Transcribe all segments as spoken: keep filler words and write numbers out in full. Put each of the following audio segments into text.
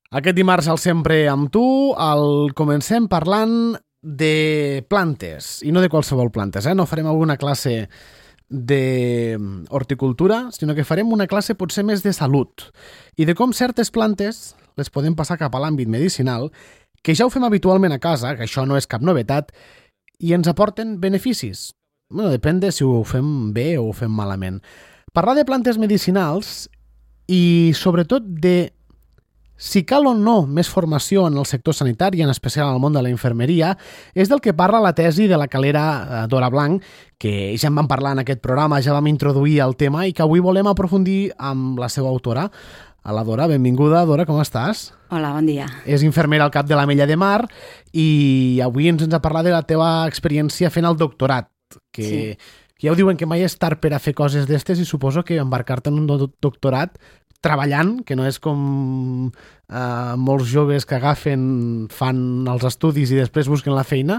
Aquest dimarts al Sempre amb tu el comencem parlant de plantes, i no de qualsevol plantes, eh? No farem alguna classe d'horticultura, sinó que farem una classe potser més de salut i de com certes plantes les podem passar cap a l'àmbit medicinal, que ja ho fem habitualment a casa, que això no és cap novetat, i ens aporten beneficis. Bueno, depèn de si ho fem bé o ho fem malament. Parlar de plantes medicinals i sobretot de si cal o no més formació en el sector sanitari, en especial en el món de la infermeria, és del que parla la tesi de la calera Dora Blanc, que ja en vam parlar en aquest programa, ja vam introduir el tema i que avui volem aprofundir amb la seva autora. A la Dora, benvinguda. Dora, com estàs? Hola, bon dia. És infermera al cap de l'Ametlla de Mar i avui ens ens ha parlat de la teva experiència fent el doctorat, que sí. Ja ho diuen que mai és tard per a fer coses d'estes i suposo que embarcar-te en un do- doctorat treballant, que no és com eh, molts joves que agafen, fan els estudis i després busquen la feina.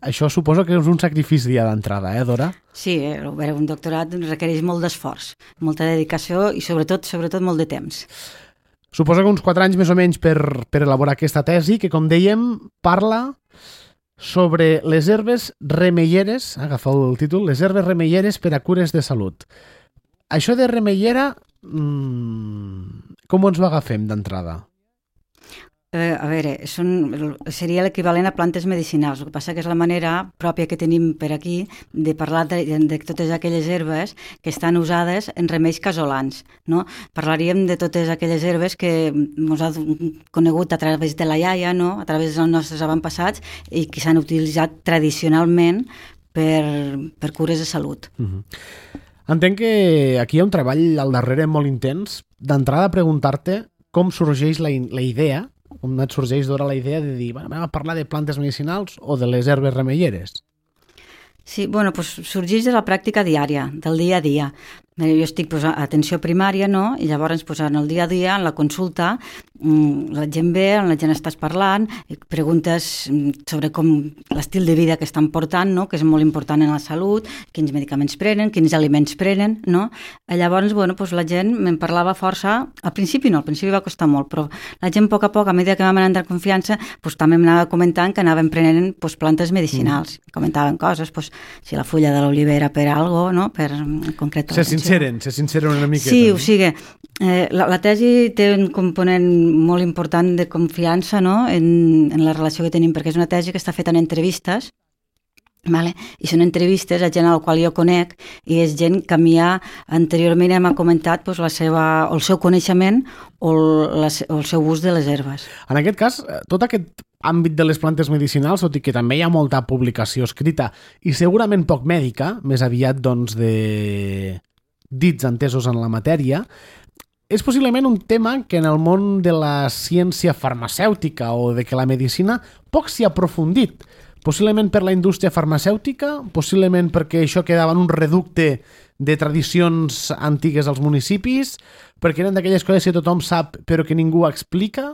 Això suposo que és un sacrifici ja d'entrada, eh, Dora? Sí, eh, un doctorat requereix molt d'esforç, molta dedicació i sobretot sobretot molt de temps. Suposo que uns quatre anys més o menys per, per elaborar aquesta tesi, que com dèiem parla sobre les herbes remeieres, agafeu el títol, les herbes remeieres per a cures de salut. Això de remeiera, mmm, com ens ho agafem d'entrada? Eh, a veure, són, seria l'equivalent a plantes medicinals. El que passa que és la manera pròpia que tenim per aquí de parlar de, de totes aquelles herbes que estan usades en remeis casolans, no? Parlaríem de totes aquelles herbes que ens ha conegut a través de la iaia, no? A través dels nostres avantpassats i que s'han utilitzat tradicionalment per, per cures de salut. Uh-huh. Entenc que aquí hi ha un treball al darrere molt intens. D'entrada, preguntar-te com sorgeix la, la idea, com et sorgeix d'hora la idea de dir, bueno, anem a parlar de plantes medicinals o de les herbes remeieres? Sí, bueno, doncs sorgeix de la pràctica diària, del dia a dia. Jo estic pues, a atenció primària, no? I llavors pues, en el dia a dia, en la consulta, la gent ve, la gent estàs parlant, preguntes sobre com l'estil de vida que estan portant, no? Que és molt important en la salut, quins medicaments prenen, quins aliments prenen, no? I llavors, bueno, pues, la gent me'n parlava força, al principi no, al principi va costar molt, però la gent a poc a poc, a mesura que vam anar en confiança, pues, també m'anava comentant que anaven prenent pues, plantes medicinals, mm. comentaven coses, pues, si la fulla de l'olivera per algo, no? Per en concret. Se sinceren, se sinceren una miqueta. Sí, o sigui, eh, la, la tesi té un component molt important de confiança, no? en, en la relació que tenim, perquè és una tesi que està feta en entrevistes, vale? I són entrevistes a gent a la qual jo conec i és gent que a mi ja anteriorment m'ha comentat pues, la seva, el seu coneixement o el, la, o el seu ús de les herbes. En aquest cas, tot aquest àmbit de les plantes medicinals, tot i que també hi ha molta publicació escrita i segurament poc mèdica, més aviat doncs de dits entesos en la matèria, és possiblement un tema que en el món de la ciència farmacèutica o de que la medicina poc s'hi ha aprofundit. Possiblement per la indústria farmacèutica, possiblement perquè això quedava en un reducte de tradicions antigues als municipis, perquè eren d'aquelles coses que tothom sap però que ningú explica.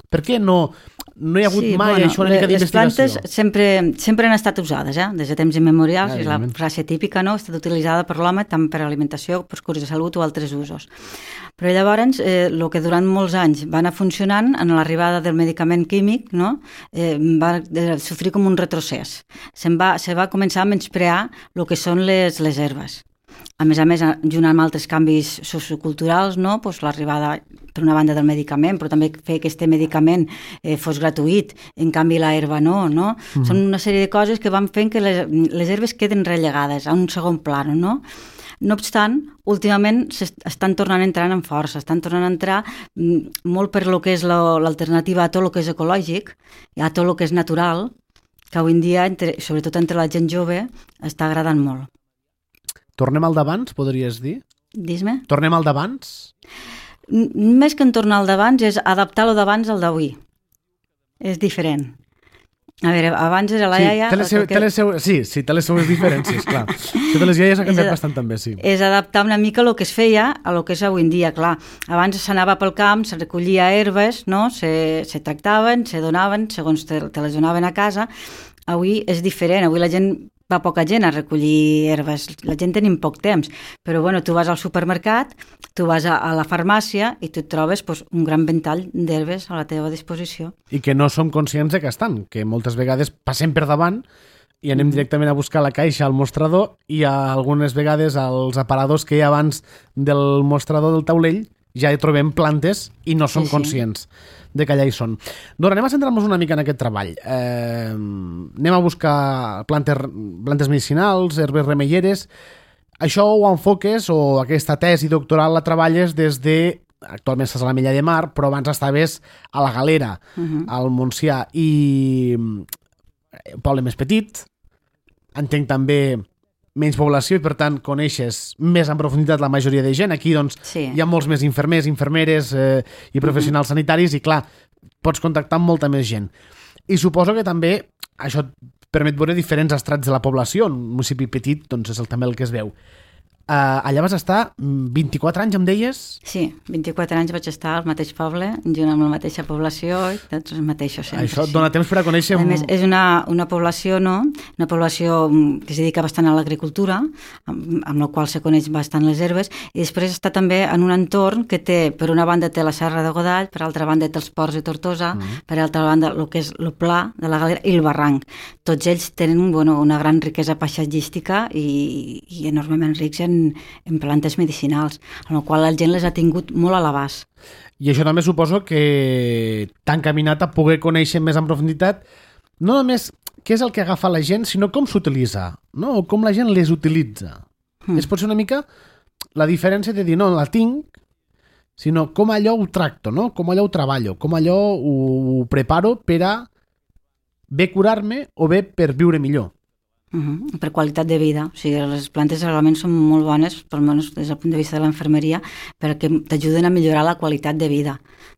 Per què no, no hi ha hagut sí, mai bueno, això una mica d'investigació? Les plantes sempre, sempre han estat usades, eh? Des de temps immemorials, ah, és la frase típica, no? Ha estat utilitzada per l'home tant per alimentació, per cures de salut o altres usos. Però llavors, eh, el que durant molts anys va anar funcionant, en l'arribada del medicament químic, no? eh, va sofrir com un retrocés. Se'n va, se va començar a menysprear el que són les, les herbes. A més a més, junt amb altres canvis socioculturals, no? Pues l'arribada, per una banda, del medicament, però també fer que aquest medicament eh, fos gratuït, en canvi la herba no, no? Mm. Són una sèrie de coses que van fent que les, les herbes queden relegades a un segon plano, no? No obstant, últimament estan tornant a entrar en força, estan tornant a entrar molt per lo que és l'alternativa a tot el que és ecològic, i a tot el que és natural, que avui en dia, entre, sobretot entre la gent jove, està agradant molt. Tornem al d'abans, podries dir? Dis-me. Tornem al d'abans? Més que en tornar al d'abans és adaptar lo d'abans al d'avui. És diferent. A veure, abans era la sí, iaia... Té les seu, té les seu, sí, sí, té les seues diferències, clar. Això de les iaies ha canviat bastant també, sí. És adaptar una mica el que es feia a lo que és avui en dia, clar. Abans s'anava pel camp, se recollia herbes, no? se, se tractaven, se donaven, segons te, te les donaven a casa. Avui és diferent, avui la gent va poca gent a recollir herbes, la gent tenim poc temps, però bueno, tu vas al supermercat, tu vas a, a la farmàcia i tu et trobes pues, un gran ventall d'herbes a la teva disposició. I que no som conscients de que estan, que moltes vegades passem per davant i anem directament a buscar la caixa al mostrador i algunes vegades als aparadors que hi ha abans del mostrador del taulell ja hi trobem plantes i no som sí, sí. conscients de que allà hi són. Doncs anem a centrar-nos una mica en aquest treball. Eh, anem a buscar plantes, plantes medicinals, herbes remeieres. Això ho enfoques o aquesta tesi doctoral la treballes des de... Actualment estàs a la Mella de Mar, però abans estaves a la Galera, uh-huh. al Montsià, i un poble més petit, entenc també menys població i per tant coneixes més en profunditat la majoria de gent. Aquí doncs sí. hi ha molts més infermers, infermeres eh, i professionals uh-huh. sanitaris i clar, pots contactar amb molta més gent. I suposo que també això et permet veure diferents estrats de la població. Un municipi petit doncs és el, també el que es veu. Uh, allà vas estar vint-i-quatre anys, em deies? Sí, vint-i-quatre anys vaig estar al mateix poble, junt amb la mateixa població i tots els mateixos sempre. Això et dona temps per a conèixer... A més, és una, una població, no? Una població que es dedica bastant a l'agricultura, amb, amb la qual se coneix bastant les herbes, i després està també en un entorn que té, per una banda té la Serra de Godall, per altra banda té els Ports de Tortosa, mm. per altra banda el que és el Pla de la Galera i el Barranc. Tots ells tenen bueno, una gran riquesa paisatgística i, i enormement rics en en plantes medicinals, amb la qual la gent les ha tingut molt a l'abast. I això també suposo que t'ha encaminat a poder conèixer més en profunditat no només què és el que agafa la gent, sinó com s'utilitza, no? O com la gent les utilitza. Mm. És potser una mica la diferència de dir, no, la tinc, sinó com allò ho tracto, no? Com allò ho treballo, com allò ho, ho preparo per a bé curar-me o bé per viure millor. Uh-huh. Per qualitat de vida. O sigui, les plantes realment són molt bones, almenys des del punt de vista de l'enfermeria, perquè t'ajuden a millorar la qualitat de vida.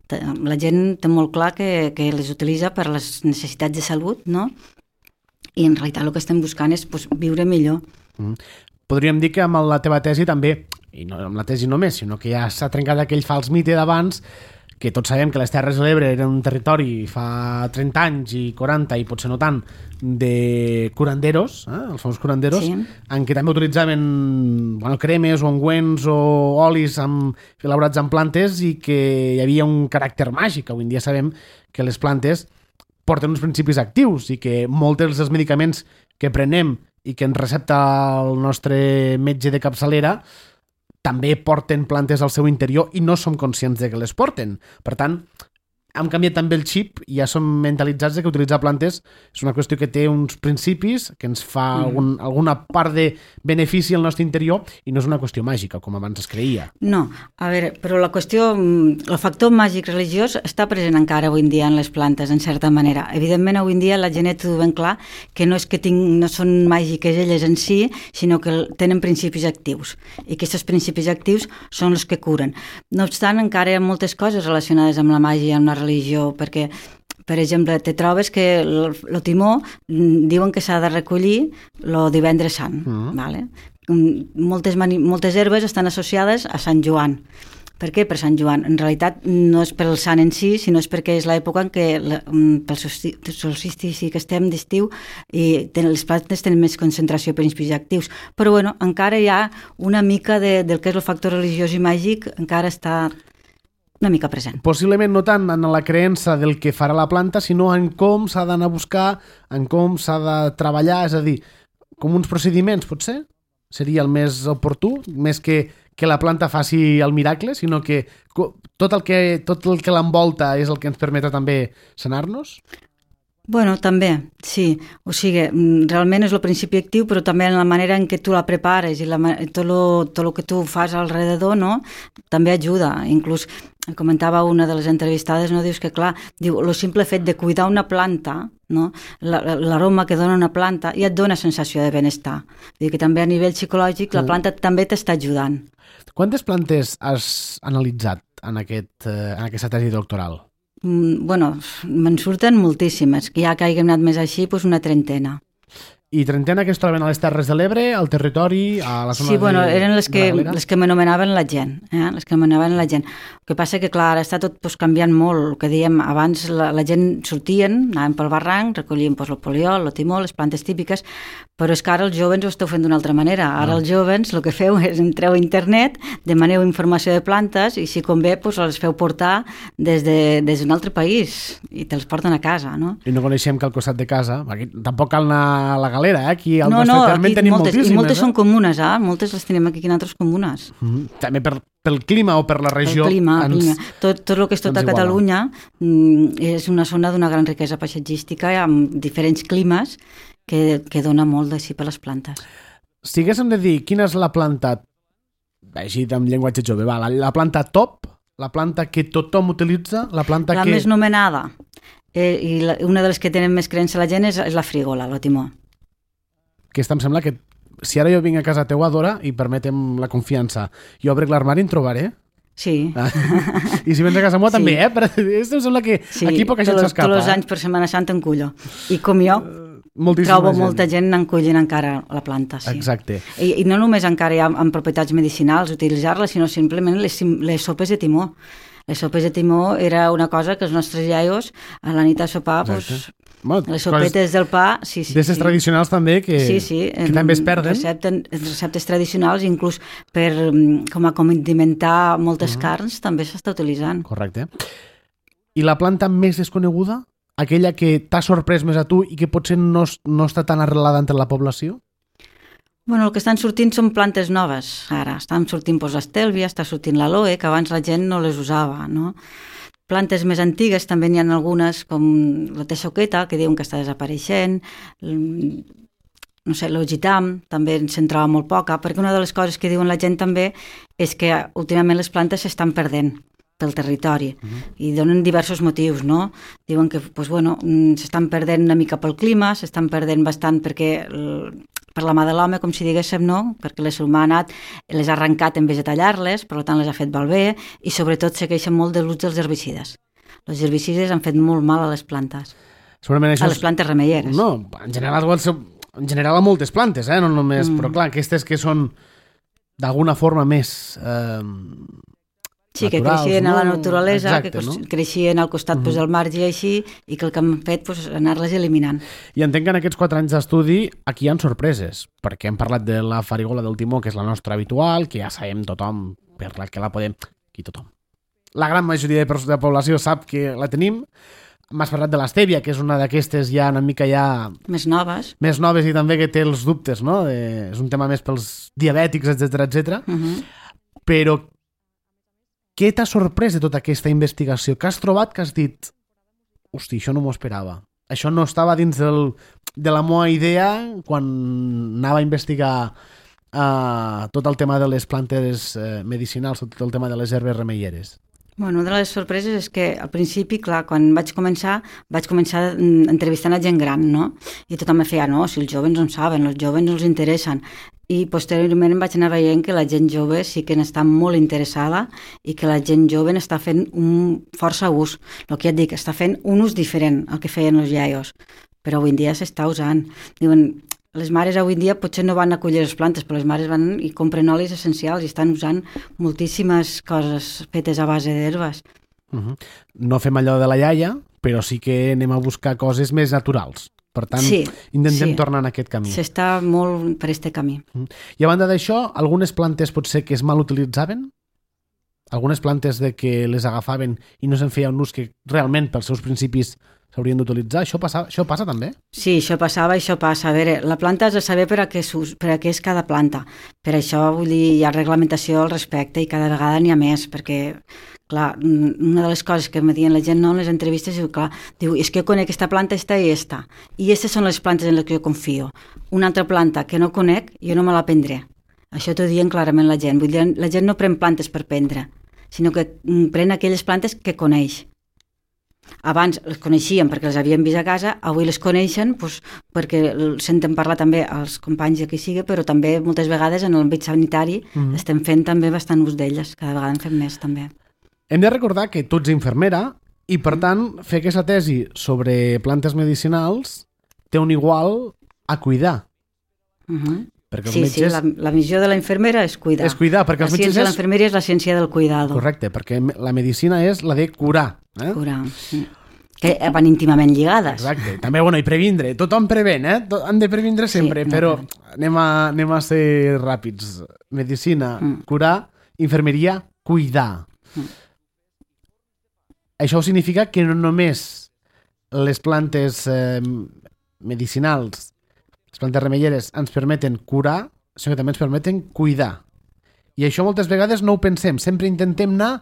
La gent té molt clar que, que les utilitza per les necessitats de salut, no? I en realitat el que estem buscant és pues, viure millor. Mm. Podríem dir que amb la teva tesi també, i no amb la tesi només, sinó que ja s'ha trencat aquell fals mite d'abans, que tots sabem que les Terres de l'Ebre eren un territori fa trenta anys i quaranta i potser no tant de curanderos, eh? els famosos curanderos, sí. en què també utilitzaven bueno, cremes o ungüents o olis amb, elaborats en plantes i que hi havia un caràcter màgic. Avui en dia sabem que les plantes porten uns principis actius i que molts dels medicaments que prenem i que ens recepta el nostre metge de capçalera també porten plantes al seu interior i no som conscients de que les porten. Per tant, hem canviat també el xip i ja som mentalitzats de que utilitzar plantes és una qüestió que té uns principis, que ens fa mm. algun, alguna part de benefici al nostre interior i no és una qüestió màgica, com abans es creia. No, a veure, però la qüestió, el factor màgic religiós està present encara avui en dia en les plantes, en certa manera. Evidentment, avui en dia la gent té ben clar que no és que ting, no són màgiques elles en si, sinó que tenen principis actius i que aquests principis actius són els que curen. No obstant, encara hi ha moltes coses relacionades amb la màgia i amb la religió, perquè, per exemple, te trobes que el, el timó diuen que s'ha de recollir el divendres sant, uh-huh. vale? Moltes, mani, moltes herbes estan associades a Sant Joan. Per què per Sant Joan? En realitat no és pel sant en si, sinó és perquè és l'època en què pel solstici que estem d'estiu i les plantes tenen més concentració de principis actius. Però bueno, encara hi ha una mica de, del que és el factor religiós i màgic, encara està una mica present. Possiblement no tant en la creença del que farà la planta, sinó en com s'ha d'anar a buscar, en com s'ha de treballar, és a dir, com uns procediments, potser? Seria el més oportú, més que que la planta faci el miracle, sinó que tot el que, tot el que l'envolta és el que ens permet també sanar-nos? Bueno, també, sí. O sigui, realment és el principi actiu, però també en la manera en què tu la prepares i la, tot el tot lo que tu fas alrededor, no? També ajuda. Inclús comentava una de les entrevistades, no? Dius que, clar, diu, el simple fet de cuidar una planta, no? L'aroma que dona una planta ja et dona sensació de benestar. Diu que també a nivell psicològic la planta també t'està ajudant. Quantes plantes has analitzat en, aquest, en aquesta tesi doctoral? Mm, bueno, me'n surten moltíssimes, que ja que hàgim anat més així, doncs una trentena. I trentena que es troben a les Terres de l'Ebre, al territori, a la zona sí, bueno, de, eren les que, de la les que m'anomenaven la gent, eh? les que m'anomenaven la gent. El que passa que, clar, ara està tot pues, canviant molt. El que dèiem, abans la, la gent sortien, anaven pel barranc, recollien pues, el poliol, el timó, les plantes típiques, però és que ara els jovens ho esteu fent d'una altra manera. Ara no. Els jovens el que feu és entreu a internet, demaneu informació de plantes i si convé pues, les feu portar des d'un de, des altre país i te'ls porten a casa, no? I no coneixem que al costat de casa, aquí tampoc cal anar a la galera, eh? Aquí al no, nostre no, terme en tenim moltes, moltíssimes. I moltes eh? són comunes, eh? Moltes les tenim aquí en altres comunes. Mm-hmm. També per, pel clima o per la regió. El clima, ens, el clima. Tot, tot el que és tota Catalunya mm, és una zona d'una gran riquesa paisatgística amb diferents climes que, que dona molt d'així per les plantes. Si haguéssim de dir quina és la planta, així amb llenguatge jove, va, la, la planta top, la planta que tothom utilitza, la planta la que... La més nomenada, eh, i la, una de les que tenen més creença la gent és, és la frígola, el timó. Aquesta em sembla que si ara jo vinc a casa teua, Dora, i permetem la confiança, i obric l'armari en trobaré? Sí. Ah. I si vens a casa meva sí. també, eh? Però em sembla que sí. aquí poca gent s'escapa. Tots els anys per Setmana Santa en cullo. I com jo, Moltíssima trobo gent. molta gent encollint encara la planta. Sí. Exacte. I, I no només encara hi ha en propietats medicinals utilitzar-la, sinó simplement les, les sopes de timó. Les sopes de timó era una cosa que els nostres iaios a la nit a sopar, pues, bueno, les sopetes del pa... Sí, sí, D'aquestes sí. tradicionals també que, sí, sí, que també es perden. Recepten, receptes tradicionals, inclús per, com a condimentar moltes uh-huh. carns, també s'està utilitzant. Correcte. I la planta més desconeguda? Aquella que t'ha sorprès més a tu i que potser no, no està tan arrelada entre la població? Bueno, el que estan sortint són plantes noves, ara. Estan sortint pues, l'estèlvia, està sortint l'aloe, que abans la gent no les usava, no? Plantes més antigues també n'hi ha algunes, com la texoqueta, que diuen que està desapareixent, no sé, l'ogitam, també se'n troba molt poca, perquè una de les coses que diuen la gent també és que últimament les plantes s'estan perdent pel territori, uh-huh. i donen diversos motius, no? Diuen que pues, bueno, s'estan perdent una mica pel clima, s'estan perdent bastant perquè per la mà de l'home, com si diguéssim, no? Perquè l'ésser humà ha anat, les ha arrencat en vez de tallar-les, per tant les ha fet malbé, i sobretot segueixen molt de l'ús dels herbicides. Els herbicides han fet molt mal a les plantes. Segurament això a les plantes remeieres. No, en general, en general a moltes plantes, eh? No només, mm. però clar, aquestes que són d'alguna forma més... Eh, Sí, naturals, que creixien no? a la naturalesa, Exacte, que no? creixien al costat uh-huh. pues, del marge i així, i que el que han fet pues, anar-les eliminant. I entenc que en aquests quatre anys d'estudi aquí hi ha sorpreses, perquè hem parlat de la farigola del timó, que és la nostra habitual, que ja sabem tothom, per la que la podem... Aquí tothom. La gran majoria de, de la població sap que la tenim. M'has parlat de l'estèvia, que és una d'aquestes ja una mica ja... Més noves. Més noves i també que té els dubtes, no? De, és un tema més pels diabètics, etcètera, etcètera. Uh-huh. Però què t'ha sorprès de tota aquesta investigació? Què has trobat que has dit hosti, això no m'ho esperava? Això no estava dins del, de la meva idea quan anava a investigar uh, tot el tema de les plantes uh, medicinals, tot el tema de les herbes remeieres. Bueno, una de les sorpreses és que al principi, clar, quan vaig començar, vaig començar entrevistant a gent gran, no? I tothom me feia, no, si els joves no en saben, els joves no els interessen. I posteriorment vaig anar veient que la gent jove sí que n'està molt interessada i que la gent jove n'està fent un força ús. El que ja et dic, està fent un ús diferent al que feien els iaios, però avui en dia s'està usant. Diuen, les mares avui en dia potser no van a collir les plantes, però les mares van i compren olis essencials i estan usant moltíssimes coses fetes a base d'herbes. Uh-huh. No fem allò de la iaia, però sí que anem a buscar coses més naturals. Per tant, sí, intentem sí. tornar en aquest camí. S'està molt per aquest camí. Uh-huh. I a banda d'això, algunes plantes potser que es mal utilitzaven? Algunes plantes de que les agafaven i no se'n feia un ús que realment pels seus principis s'haurien d'utilitzar. Això passa, això passa també? Sí, això passava i això passa. A veure, la planta has de saber per a què, per a què és cada planta. Per això, vull dir, hi ha reglamentació al respecte i cada vegada n'hi ha més, perquè, clar, una de les coses que me diuen la gent no, en les entrevistes, diu, clar, diu, és que jo conec aquesta planta, esta i esta, i aquestes són les plantes en les que jo confio. Una altra planta que no conec, jo no me la prendré. Això t'ho diuen clarament la gent. Vull dir, la gent no pren plantes per prendre, sinó que pren aquelles plantes que coneix. Abans les coneixien perquè les havien vist a casa, avui les coneixen doncs, perquè senten parlar també als companys de qui sigui, però també moltes vegades en l'àmbit sanitari mm. estem fent també bastant ús d'elles, cada vegada en fem més també. Hem de recordar que tu ets infermera i per tant fer aquesta tesi sobre plantes medicinals té un igual a cuidar. Uh-huh. Perquè els sí, metges... sí, la, la missió de la infermera és cuidar. És cuidar, perquè la els metges ciència és... de l'infermeria és la ciència del cuidado. Correcte, perquè la medicina és la de curar. Eh? Curar, sí. Que van íntimament lligades. Exacte. També, bueno, i previndre. Tothom prevent, eh? Han de previndre sempre, sí, no, però anem a, anem a ser ràpids. Medicina, mm. curar, infermeria, cuidar. Mm. Això significa que no només les plantes eh, medicinals, les plantes remeieres ens permeten curar, sinó que també ens permeten cuidar. I això moltes vegades no ho pensem. Sempre intentem anar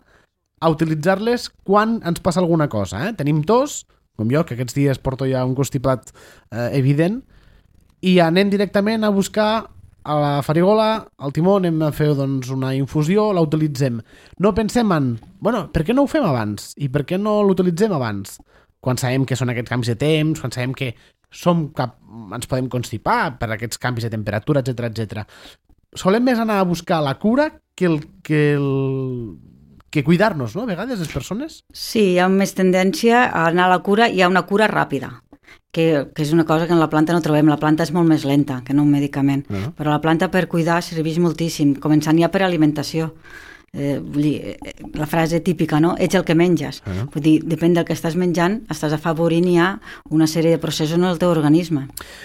a utilitzar-les quan ens passa alguna cosa. Eh? Tenim tos, com jo, que aquests dies porto ja un constipat eh, evident, i anem directament a buscar a la farigola, al timó, anem a fer doncs, una infusió, la utilitzem. No pensem en, bueno, per què no ho fem abans? I per què no l'utilitzem abans? Quan sabem que són aquests canvis de temps, quan sabem que som cap, ens podem constipar per aquests canvis de temperatura, etcètera, etcètera. Solem més anar a buscar la cura que el... Que el que cuidar-nos, no? A vegades, les persones. Sí, hi ha més tendència a anar a la cura, hi ha una cura ràpida, que, que és una cosa que en la planta no trobem. La planta és molt més lenta que no un medicament, uh-huh. però la planta per cuidar serveix moltíssim, començant ja per alimentació. Eh, vull dir, la frase típica, no? Ets el que menges. Uh-huh. Vull dir, depèn del que estàs menjant, estàs afavorint ja una sèrie de processos en el teu organisme.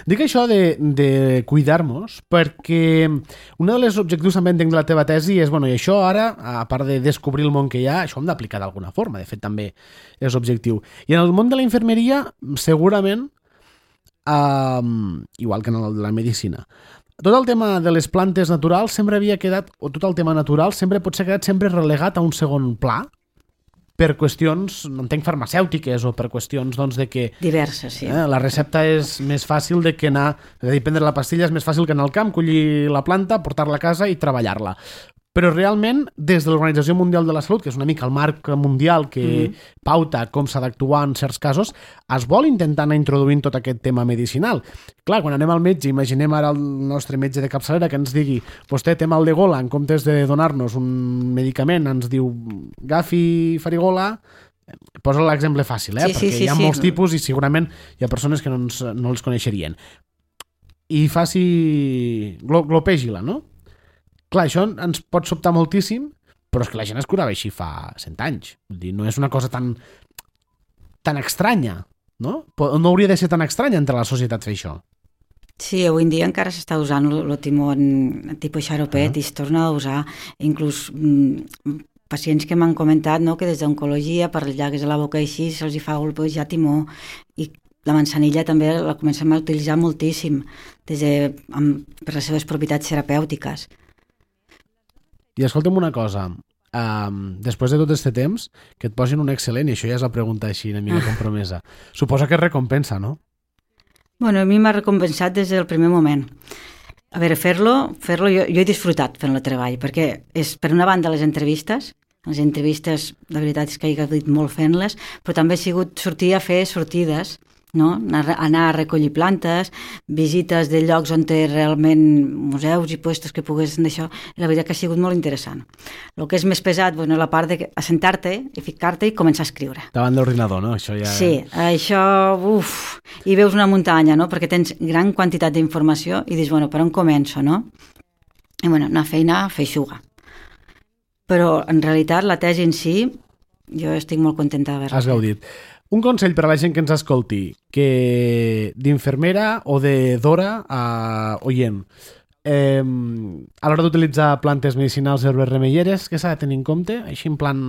Dic això de, de cuidar-nos perquè un dels objectius també entenc de la teva tesi és, bueno, i això ara, a part de descobrir el món que hi ha, això hem d'aplicar d'alguna forma, de fet també és objectiu. I en el món de la infermeria, segurament, eh, igual que en el de la medicina, tot el tema de les plantes naturals sempre havia quedat, o tot el tema natural sempre pot ser quedat sempre relegat a un segon pla per qüestions, no entenc, farmacèutiques o per qüestions, doncs, de que... Diverses, sí. Eh, la recepta és més fàcil de que anar... És a dir, prendre la pastilla és més fàcil que anar al camp, collir la planta, portar-la a casa i treballar-la. Però realment, des de l'Organització Mundial de la Salut, que és una mica el marc mundial que mm. pauta com s'ha d'actuar en certs casos, es vol intentar anar introduint tot aquest tema medicinal. Clar, quan anem al metge, imaginem ara el nostre metge de capçalera que ens digui vostè té mal de gola, en comptes de donar-nos un medicament, ens diu agafi farigola, posa l'exemple fàcil, eh? Sí, perquè sí, sí, hi ha sí. molts tipus i segurament hi ha persones que no, ens, no els coneixerien. I faci... Glo, glopègila, no? Clar, això ens pot sobtar moltíssim, però és que la gent es curava així fa cent anys. Vull dir, no és una cosa tan, tan estranya, no? No hauria de ser tan estranya entre la societat fer això. Sí, avui en dia encara s'està usant el timó en tipus xaropet uh-huh. i es torna a usar. Inclús mm, pacients que m'han comentat, no?, que des d'oncologia, per les llagues de la boca així, se'ls hi fa golpejar timó. I la manzanilla també la comencem a utilitzar moltíssim des de, amb, per les seves propietats terapèutiques. I escolta'm una cosa, um, després de tot aquest temps, que et posin un excel·lent, i això ja és la pregunta així una mica compromesa, suposa que és recompensa, no? Bueno, a mi m'ha recompensat des del primer moment. A veure, fer-lo, fer-lo jo, jo he disfrutat fent el treball, perquè és, per una banda, les entrevistes, les entrevistes, la veritat és que he gaudit molt fent-les, però també ha sigut sortir a fer sortides, no? Anar, anar a recollir plantes, visites de llocs on té realment museus i puestos que poguessin d'això, la veritat que ha sigut molt interessant. El que és més pesat, bueno, la part de assentar-te i ficar-te i començar a escriure. Davant d'ordinador, no? Això ja... Sí, això, uf, i veus una muntanya, no? Perquè tens gran quantitat d'informació i dius, bueno, per on començo, no? I bueno, una feina feixuga. Però en realitat la tesi en si, jo estic molt contenta d'haver-la. Has gaudit. Un consell per a la gent que ens escolti, que d'infermera o de d'hora a oient, eh, a l'hora d'utilitzar plantes medicinals i herbes remeieres, què s'ha de tenir en compte? Així en plan,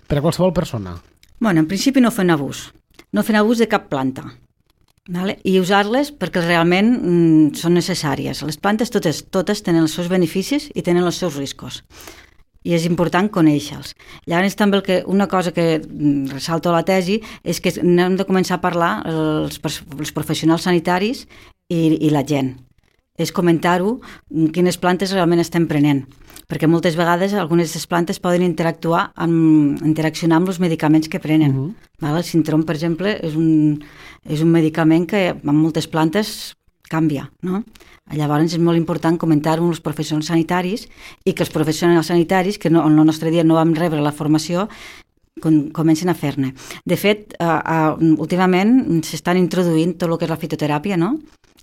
per a qualsevol persona. Bueno, en principi no fent abús. No fent abús de cap planta. Vale? I usar-les perquè realment mm, són necessàries. Les plantes totes, totes tenen els seus beneficis i tenen els seus riscos. I és important conèixer-los. Llavors també el que, una cosa que ressalto a la tesi és que hem de començar a parlar els, els professionals sanitaris i, i la gent. És comentar-ho, quines plantes realment estem prenent, perquè moltes vegades algunes de les plantes poden interactuar amb, interaccionar amb els medicaments que prenen. Uh-huh. Val? El Sintrom, per exemple, és un, és un medicament que amb moltes plantes canvia, no? Llavors és molt important comentar-ho amb els professionals sanitaris i que els professionals sanitaris, que no, en el nostre dia no vam rebre la formació, com, comencen a fer-ne. De fet, uh, uh, últimament s'estan introduint tot el que és la fitoteràpia, no?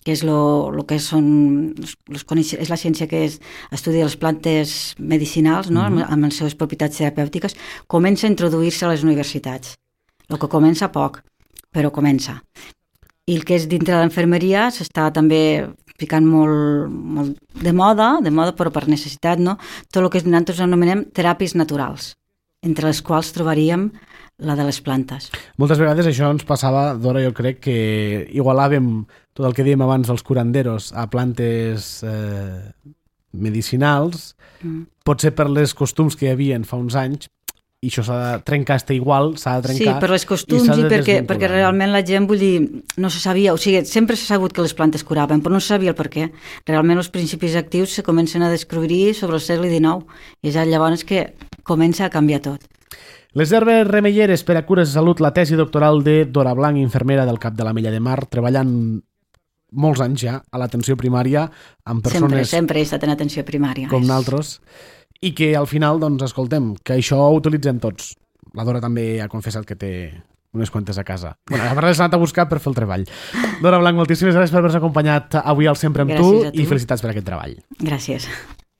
que és, lo, lo que són los, los, és la ciència que és, estudia les plantes medicinals, no? Mm-hmm. amb les seves propietats terapèutiques, comença a introduir-se a les universitats. El que comença poc, però comença. I el que és dintre de l'enfermeria s'està també ficant molt, molt de moda, de moda però per necessitat, no? Tot el que nosaltres anomenem teràpies naturals, entre les quals trobaríem la de les plantes. Moltes vegades això ens passava, Dora, jo crec que igualàvem tot el que dèiem abans dels curanderos a plantes eh, medicinals, mm. potser per les costums que hi havia fa uns anys, i això s'ha de trencar, està igual, s'ha de trencar. Sí, per les costums i, i perquè, perquè realment la gent, vull dir, no se sabia, o sigui, sempre s'ha sabut que les plantes curaven, però no se sabia el per què. Realment els principis actius se comencen a descobrir sobre el segle dinou, i és llavors que comença a canviar tot. Les herbes remeieres per a cures de salut, la tesi doctoral de Dora Blanc, infermera del Cap de l'Ametlla de Mar, treballant molts anys ja a l'atenció primària amb persones... Sempre, sempre he estat en atenció primària. Com nosaltres. I que al final, doncs, escoltem, que això ho utilitzem tots. La Dora també ha confessat que té unes quantes a casa. Bueno, a part l'has anat a buscar per fer el treball. Dora Blanc, moltíssimes gràcies per haver-nos acompanyat avui al Sempre amb tu, tu i felicitats per aquest treball. Gràcies.